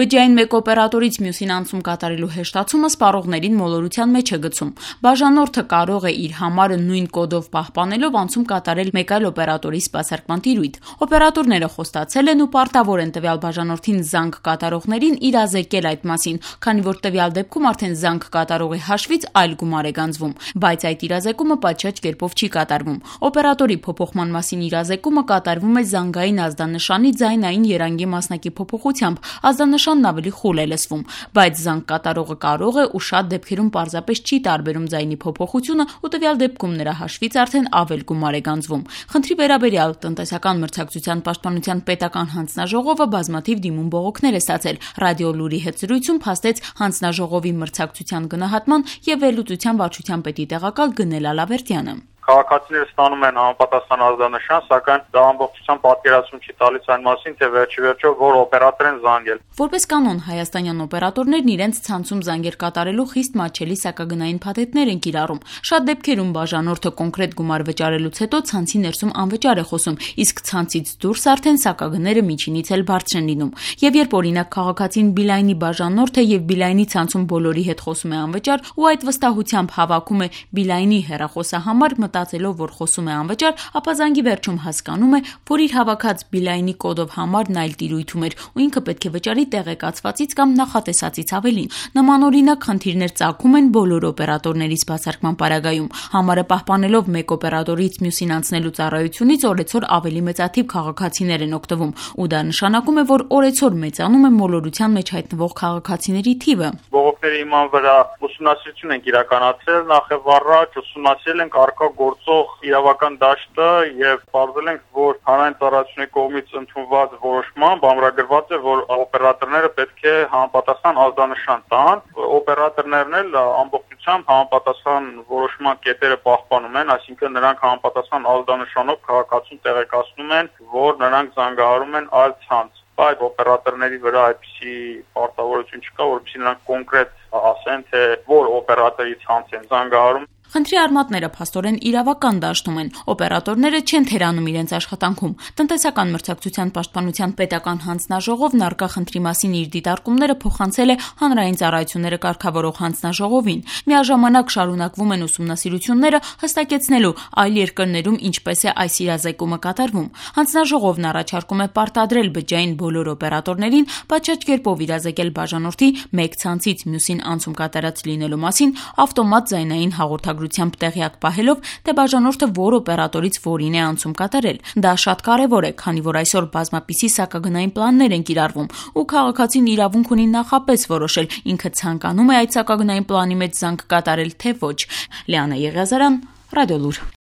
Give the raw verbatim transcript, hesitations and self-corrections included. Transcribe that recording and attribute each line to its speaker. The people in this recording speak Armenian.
Speaker 1: Բջջային մեկ օպերատորից մյուսին անցում կատարելու հեշտացումը սպառողներին մոլորության մեջ է գցում։ Բաժանորդը կարող է իր համարը նույն կոդով պահպանելով անցում կատարել մեկ այլ օպերատորի սպասարկման տիրույթ։ Օպերատորները խոստացել են ու պարտավոր են տվյալ բաժանորդին զանգ կատարողներին իրազեկել այդ մասին, քանի որ տվյալ դեպքում արդեն զանգ կատարողի հաշվից այլ գումար է գանձվում, բայց այդ իրազեկումը պատշաճ կերպով չի կատարվում։ Օպերատորի փոփոխման մասին իրազեկումը կատարվում է զանգային ազդանշանի ձայնային երանգի մասնակի փոփոխությամբ, ազդանշանն ավելի խուլ է լսվում, բայց զանգ կատարողը կարող է ու շատ դեպքերում պարզապես չի տարբերում ձայնի փոփոխությունը ու տվյալ դեպքում նրա հաշվից արդեն ավել գումար է գանձվում։ Խնդրի վերաբերյալ տնտեսական մրցակցության պաշտպանության պետական հանձնաժողովը բազմաթիվ դիմում բողոքներ է ստացել։ Ռադիո Լուրի հետ զրույցում փաստեց հանձնաժողովի մրցակցության գնահատման եւ վերլուծության վարչության պետի տեղակալ Գնել Ալավերդյանը։
Speaker 2: Քաղաքացիները ստանում են համապատասխան ազդանշան, սակայն դա ամբողջությամբ պատկերացում չի տալիս այն մասին, թե վերջիվերջո որ օպերատոր են զանգել։
Speaker 1: Որպես կանոն, հայաստանյան օպերատորներն իրենց ցանցում զանգեր կատարելու խիստ մատչելի սակագնային փաթեթներ են կիրառում։ Շատ դեպքերում բաժանորդը կոնկրետ գումար վճարելուց հետո ցանցի ներսում անվճար է խոսում, իսկ ցանցից դուրս արդեն սակագները միջինից էլ բարձր են լինում։ Եվ երբ օրինակ քաղաքացին Բիլայնի բաժանորդ է եւ Բիլայնի ցանցում բոլորի հետ խոսում է անվճար ու այդ վստահությամբ հավաքում է Բիլայնի հեռախոսահամար մտածելով, որ խոսում է անվճար, ապա զանգի վերջում հասկանում է, որ իր հավաքած Բիլայնի կոդով համարն այլ տիրույթում էր ու ինքը պետք է վճարի տեղեկացվածից կամ նախատեսածից ավելին։ Նմանօրինակ խնդիրներ ծագում են բոլոր օպերատորների սպասարկման պարագայում։ Համարը պահպանելով մեկ օպերատորից մյուսին անցնելու ծառայությունից օրեցօր ավելի մեծաթիվ քաղաքացիներ են օգտվում, ու դա նշանակում է, որ օրեցօր մեծանում է մոլորության մեջ հայտնվող քաղաքացիների թիվը։
Speaker 2: Բողոքների իման վրա ուսումնասիրություն ենք իրականացրել, նախ առաջ ուսումնասիրել ենք առկա գործող իրավական դաշտը եւ պարզել ենք, որ հանրային ծառայությունների կողմից ընդունված որոշմամբ ամրագրված է, որ օպերատորները պետք է համապատասխան ազդանշան տան։ Օպերատորներն էլ ամբողջությամբ համապատասխան որոշման կետերը պահպանում են, այսինքն նրանք համապատասխան ազդանշանով քաղաքացուն տեղեկացնում են, որ նրանք զանգահարում են այլ ցանց։ Այդ օպերատորների վրա այդպիսի պարտավորություն չկա, որովհետեւ նրանք կոնկրետ ասեն, թե որ օպերատորի ցանց են զանգահարում։
Speaker 1: Խնդրի արմատները փաստորեն իրավական դաշտում են։ Օպերատորները չեն թերանում իրենց աշխատանքում։ Տնտեսական մրցակցության պաշտպանության պետական հանձնաժողովն առկա խնդրի մասին իր դիտարկումները փոխանցել է հանրային ծառայությունները կարգավորող հանձնաժողովին։ Միաժամանակ շարունակվում են ուսումնասիրությունները հստակեցնելու այլ երկրներում ինչպես է այս իրազեկումը կատարվում։ Հանձնաժողովն առաջարկում է պարտադրել բջջային բոլոր օպերատորներին պատշաճ կերպով իրազեկել բաժանորդի մեկ ցանցից մյուսին անցում կատարած լինելու մասին ավտոմատ ձայնային հաղորդագրությամբ տեղյակ պահելով, թե բաժանորդը որ օպերատորից որին է անցում կատարել։ Դա շատ կարևոր է, քանի որ այսօր բազմապիսի սակագնային պլաններ են կիրառվում, ու քաղաքացին իրավունք ունի նախապես որոշել ինքը ցանկանում է այդ սակագնային պլանի մեջ զանգ կատարել, թե ոչ։ Լիանա Եղիազարյան, Ռադիո Լուր։